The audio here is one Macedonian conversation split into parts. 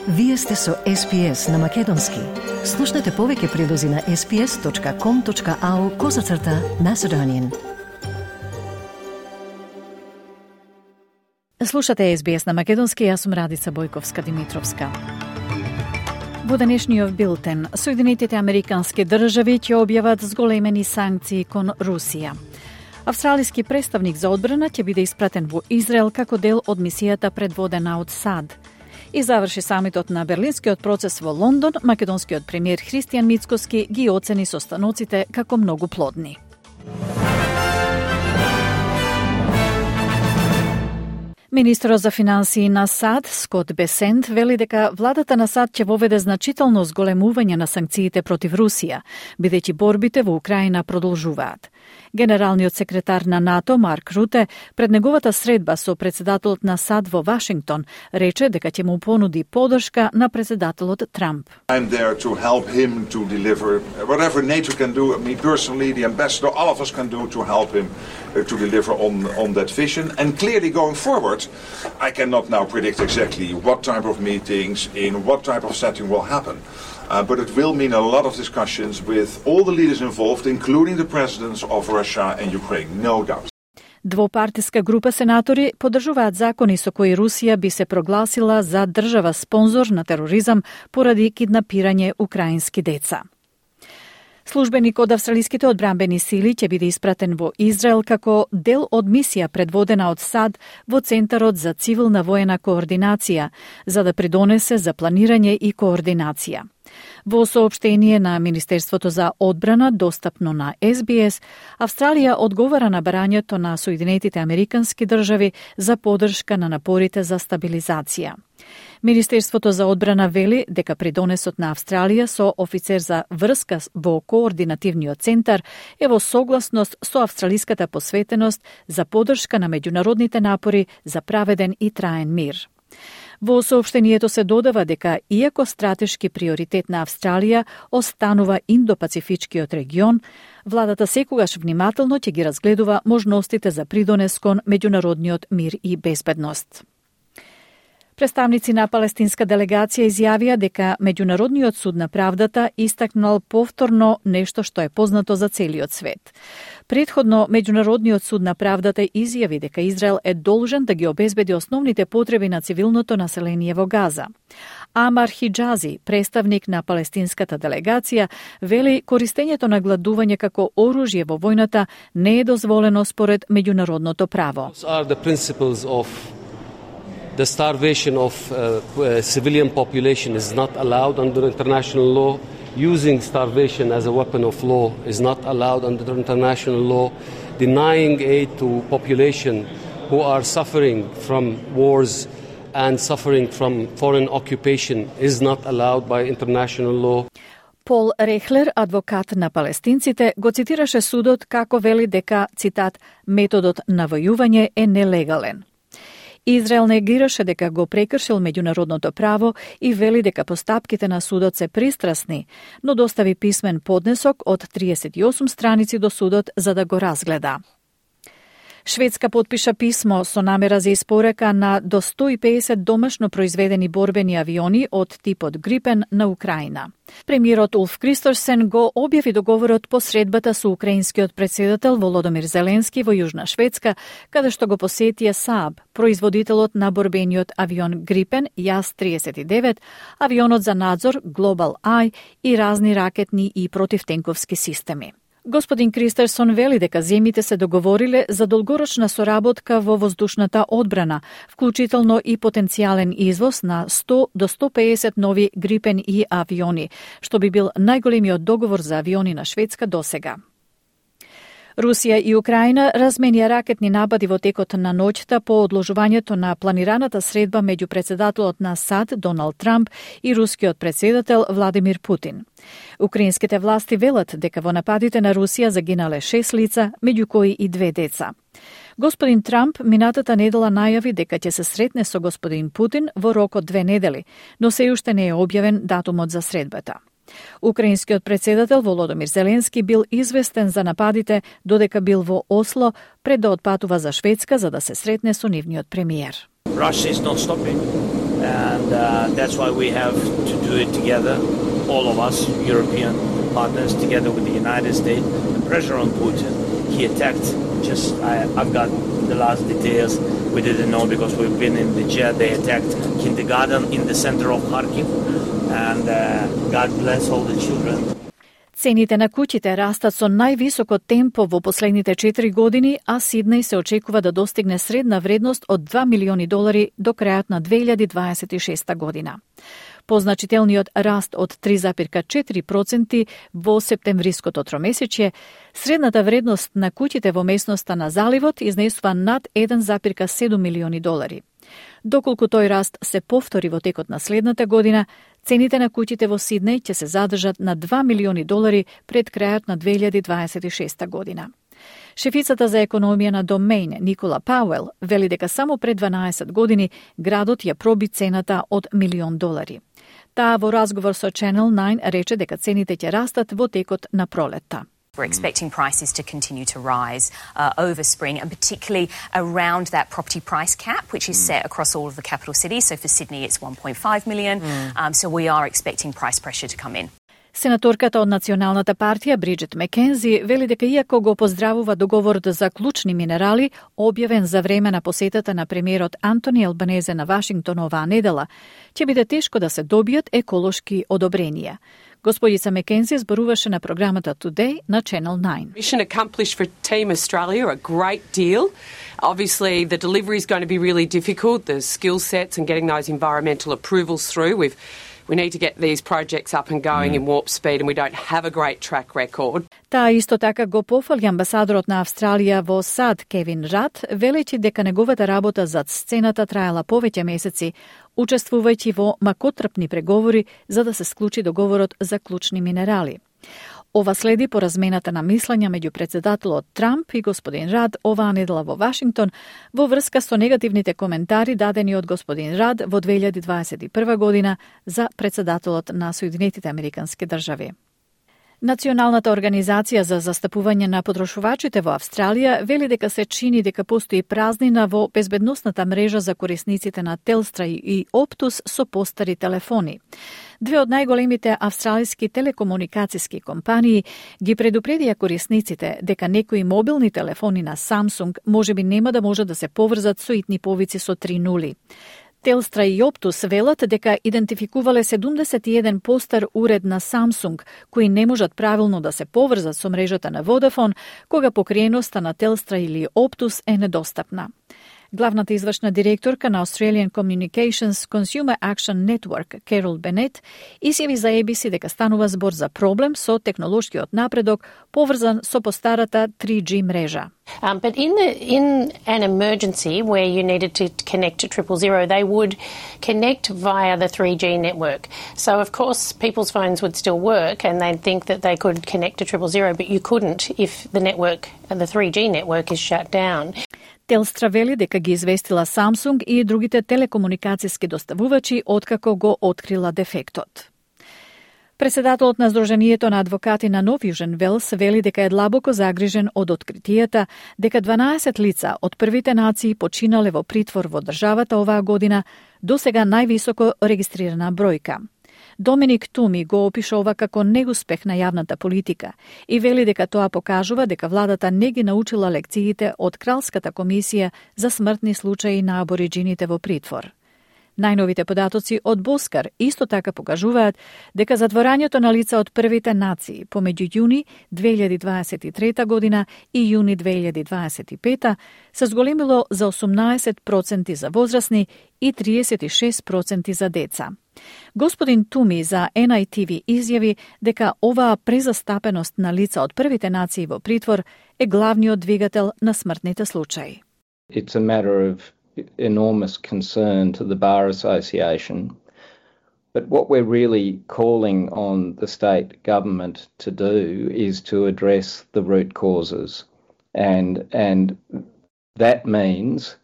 Вие сте со SPS на Македонски. Слушнете повеќе прилози на sps.com.au/Macedonian. Слушате SBS на Македонски, јас сум Радица Бојковска-Димитровска. Во денешниот билтен, Соединетите Американски држави ќе објават зголемени санкции кон Русија. Австралиски представник за одбрана ќе биде испратен во Израел како дел од мисијата предводена од САД. И заврши самитот на Берлинскиот процес во Лондон, македонскиот премиер Христијан Мицкоски ги оцени состаноците како многу плодни. Министерот за финансии на САД, Скот Бесент, вели дека владата на САД ќе воведе значително зголемување на санкциите против Русија, бидејќи борбите во Украина продолжуваат. Генералниот секретар на НАТО, Марк Руте, пред неговата средба со председателот на САД во Вашингтон, рече дека ќе му понуди поддршка на председателот Трамп. I'm there to help him to deliver whatever NATO can do, me personally, the ambassador, all of us can do to help him to deliver on that vision. And clearly going forward, I cannot now predict exactly what type of meetings, in what type of setting will happen. But it will mean a lot of discussions with all the leaders involved, including the presidents of Russia and Ukraine, no doubt. Двопартиска група сенатори поддржуваат закони со кои Русија би се прогласила за држава спонзор на тероризам поради киднапирање украински деца. Службеник од австралиските одбранбени сили ќе биде испратен во Израел како дел од мисија предводена од САД во Центарот за цивилна воена координација, за да придонесе за планирање и координација. Во соопштение на Министерството за одбрана, достапно на SBS, Австралија одговара на барањето на Соединетите Американски држави за поддршка на напорите за стабилизација. Министерството за одбрана вели дека придонесот на Австралија со офицер за врска во координативниот центар е во согласност со австралиската посветеност за поддршка на меѓународните напори за праведен и траен мир. Во соопштението се додава дека, иако стратешки приоритет на Австралија останува Индо-Пацифичкиот регион, владата секогаш внимателно ќе ги разгледува можностите за придонес кон меѓународниот мир и безбедност. Представници на палестинска делегација изјавија дека Меѓународниот суд на правдата истакнал повторно нешто што е познато за целиот свет. Предходно, Меѓународниот суд на правдата изјави дека Израел е должен да ги обезбеди основните потреби на цивилното население во Газа. Амар Хиџази, представник на палестинската делегација, вели користењето на гладување како оружје во војната не е дозволено според меѓународното право. The starvation of civilian population is not allowed under international law. Using starvation as a weapon of law is not allowed under international law. Denying aid to population who are suffering from wars and suffering from foreign occupation is not allowed by international law. Пол Рехлер, адвокат на палестинците, го цитираше судот како вели дека, цитат, методот на војување е нелегален. Израел негираше дека го прекршил меѓународното право и вели дека постапките на судот се пристрасни, но достави писмен поднесок од 38 страници до судот за да го разгледа. Шведска потпиша писмо со намера за испорека на до 150 домашно произведени борбени авиони од типот Грипен на Украина. Премиерот Улф Кристорсен го објави договорот по средбата со украинскиот председател Володомир Зеленски во Јужна Шведска, каде што го посетија Saab, производителот на борбениот авион Грипен JAS-39, авионот за надзор Global Eye и разни ракетни и противтенковски системи. Господин Кристерсон вели дека земјите се договориле за долгорочна соработка во воздушната одбрана, вклучително и потенцијален извоз на 100 до 150 нови Грипен и авиони, што би бил најголемиот договор за авиони на Шведска досега. Русија и Украина разменија ракетни напади во текот на ноќта по одложувањето на планираната средба меѓу председателот на САД Доналд Трамп и рускиот председател Владимир Путин. Украинските власти велат дека во нападите на Русија загинале 6 лица, меѓу кои и 2 деца. Господин Трамп минатата недела најави дека ќе се сретне со господин Путин во рок од 2 недели, но се уште не е објавен датумот за средбата. Украинскиот председател Володомир Зеленски бил известен за нападите додека бил во Осло пред да отпатува за Шведска за да се сретне со нивниот премиер. Russia is not stopping. and that's why we have to do it together, all of us, European partners, together with the United States. The pressure on Putin, he attacked, I've got the last details, we didn't know because we've been in the jet. They attacked kindergarten in the center of Kharkiv, and God bless all the children. Цените на куќите растат со највисоко темпо во последните 4 години, а Сиднеј се очекува да достигне средна вредност од $2 милиони до крајот на 2026 година. Позначителниот раст од 3,4% во септемвриското тромесечје, средната вредност на куќите во местноста на заливот изнесува над $1,7 милиони. Доколку тој раст се повтори во текот на следната година, цените на куќите во Сиднеј ќе се задржат на $2 милиони пред крајот на 2026 година. Шефицата за економија на Домейн, Никола Пауел, вели дека само пред 12 години градот ја проби цената од $1 милион. Таа во разговор со Channel 9 рече дека цените ќе растат во текот на пролетта. We're expecting prices to continue to rise over spring, and particularly around that property price cap, which is set across all of the capital cities. So for Sydney, it's 1.5 million. So we are expecting price pressure to come in. Сенаторката од Националната партија Бриджит Мекензи вели дека иако го поздравува договорот за клучни минерали, објавен за време на посетата на премиерот Антони Албанезе на Вашингтон оваа недела, ќе биде тешко да се добијат еколошки одобренија. Господица Мекензи зборуваше на програмата Today на Channel 9. Mission accomplished for Team Australia, a great deal. Obviously, the delivery is going to be really difficult, the skill sets and getting those environmental approvals through. We need to get these projects up and going in warp speed, and we don't have a great track record. Таа исто така го пофали амбасадорот на Австралија во САД Кевин Рад, велејќи дека неговата работа зад сцената траела повеќе месеци, учествувајќи во макотрпни преговори за да се склучи договорот за клучни минерали. Ова следи по размената на мислења меѓу претседателот Трамп и господин Рад оваа недела во Вашингтон во врска со негативните коментари дадени од господин Рад во 2021 година за претседателот на Соединетите Американски држави. Националната организација за застапување на потрошувачите во Австралија вели дека се чини дека постои празнина во безбедносната мрежа за корисниците на Телстра и Оптус со постари телефони. Две од најголемите австралиски телекомуникацијски компании ги предупредија корисниците дека некои мобилни телефони на Samsung можеби нема да може да се поврзат со итни повици со 3 нули. Телстра и Оптус велат дека идентификувале 71 постар уред на Samsung, кои не можат правилно да се поврзат со мрежата на Vodafone, кога покриеноста на Телстра или Оптус е недостапна. Главната извршна директорка на Australian Communications Consumer Action Network, Carol Bennett, изјави за ABC дека станува збор за проблем со технолошкиот напредок поврзан со постарата 3G мрежа. But in an emergency where you needed to connect to 000, they would connect via the 3G network. So of course people's phones would still work and they'd think that they could connect to 000, but you couldn't if the network, the 3G network is shut down. Телстра вели дека ги известила Samsung и другите телекомуникацијски доставувачи откако го открила дефектот. Председателот на Сдруженијето на адвокати на Нов Јужен Велс вели дека е длабоко загрижен од откритијата дека 12 лица од првите нации починале во притвор во државата оваа година, досега највисоко регистрирана бројка. Доминик Туми го опишува како неуспех на јавната политика и вели дека тоа покажува дека владата не ги научила лекциите од Кралската комисија за смртни случаи на абориджините во притвор. Најновите податоци од Боскар исто така покажуваат дека затворањето на лица од првите нации помеѓу јуни 2023 година и јуни 2025 се зголемило за 18% за возрастни и 36% за деца. Господин Туми за NITV изјави дека оваа презастапеност на лица од првите нации во притвор е главниот двигател на смртните случаи. It's a matter of enormous concern to the Bar Association. But what we're really calling on the state government to do is to address the root causes. And that means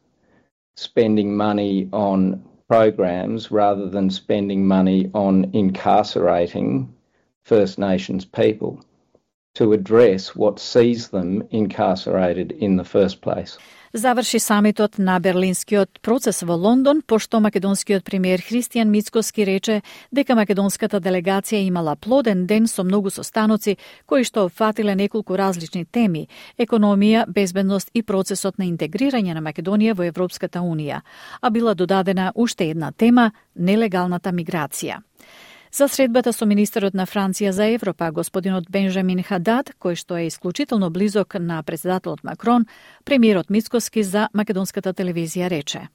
spending money on programs rather than spending money on incarcerating First Nations people to address what sees them incarcerated in the first place. Заврши самитот на Берлинскиот процес во Лондон, пошто македонскиот премиер Христијан Мицкоски рече дека македонската делегација имала плоден ден со многу состаноци кои што опфатиле неколку различни теми: економија, безбедност и процесот на интегрирање на Македонија во Европската Унија, а била додадена уште една тема – нелегалната миграција. За средбата со министерот на Франција за Европа, господинот Бенжамин Хадад, кој што е исклучително близок на председателот Макрон, премиерот Мицкоски за македонската телевизија рече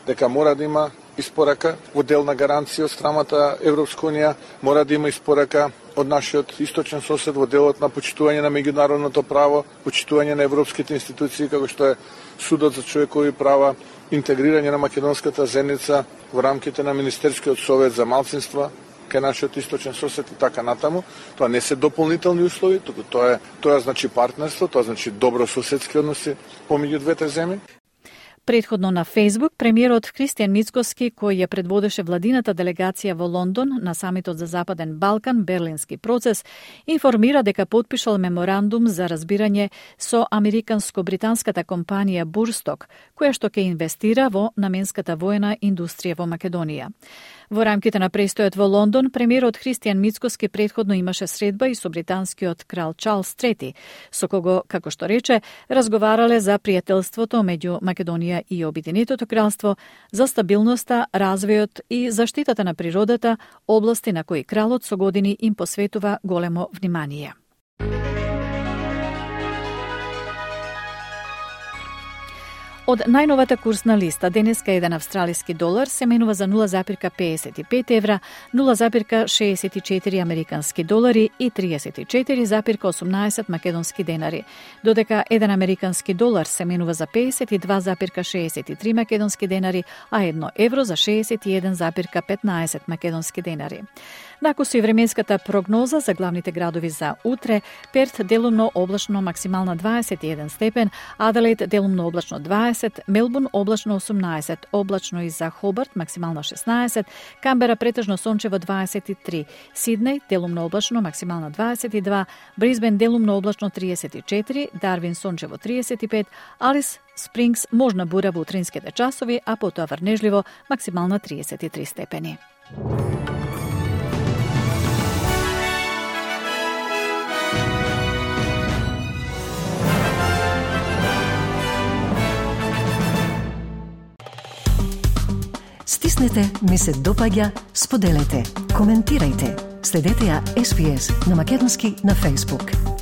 дека мора да има испорака во дел на гаранција од страмата Европска Унија, мора да има испорака од нашиот источен сосед во делот на почитување на меѓународното право, почитување на европските институции, како што е Судот за човекови права, интегрирање на македонската заедница во рамките на Министерскиот совет за малцинства кај нашиот источен сосед и така натаму. Тоа не се дополнителни услови, туку тоа значи партнерство, тоа значи добрососедски односи помеѓу двете земји. Предходно на Фейсбук, премиерот Христијан Мицкоски, кој ја предводеше владината делегација во Лондон на самитот за Западен Балкан, Берлински процес, информира дека потпишал меморандум за разбирање со американско-британската компанија Бурсток, која што ќе инвестира во наменската воена индустрија во Македонија. Во рамките на престојот во Лондон, премиерот Христијан Мицкоски предходно имаше средба и со британскиот крал Чарлс III, со кого, како што рече, разговарале за пријателството меѓу Македонија и Обединетото кралство, за стабилноста, развојот и заштитата на природата, области на кои кралот со години им посветува големо внимание. Од најновата курсна листа, денеска еден австралиски долар се менува за 0,55 евра, 0,64 американски долари и 34,18 македонски денари, додека еден американски долар се менува за 52,63 македонски денари, а 1 евро за 61,15 македонски денари. Накусу и временската прогноза за главните градови за утре: Перт делумно облачно максимална 21 степен, Аделаид делумно облачно 20, Мелбурн облачно 18, облачно и за Хобарт максимално 16, Камбера претежно сончево 23, Сиднеј делумно облачно максимално 22, Брисбен делумно облачно 34, Дарвин сончево 35, Алис Спрингс можна бура во утринските часови, а потоа врнежливо максимално 33 степени. Стиснете, ми се допаѓа, споделете, коментирајте. Следете ја SPS на македонски на Facebook.